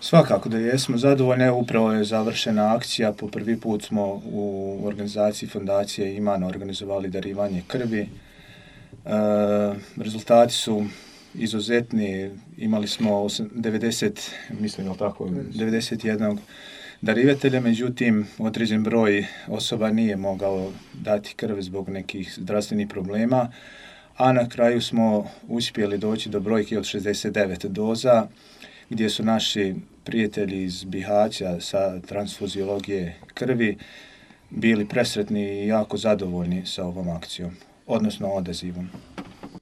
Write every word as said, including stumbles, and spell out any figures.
Svakako da jesmo zadovoljni, upravo je završena akcija, po prvi put smo u organizaciji Fondacije Imano organizovali darivanje krvi. E, rezultati su izuzetni, imali smo devedeset, mislim tako, devedeset jedan darivatelja, međutim određen broj osoba nije mogao dati krv zbog nekih zdravstvenih problema, a na kraju smo uspjeli doći do brojke od šezdeset devet doza, gdje su naši prijatelji iz Bihaća sa transfuziologije krvi bili presretni i jako zadovoljni sa ovom akcijom, odnosno odazivom.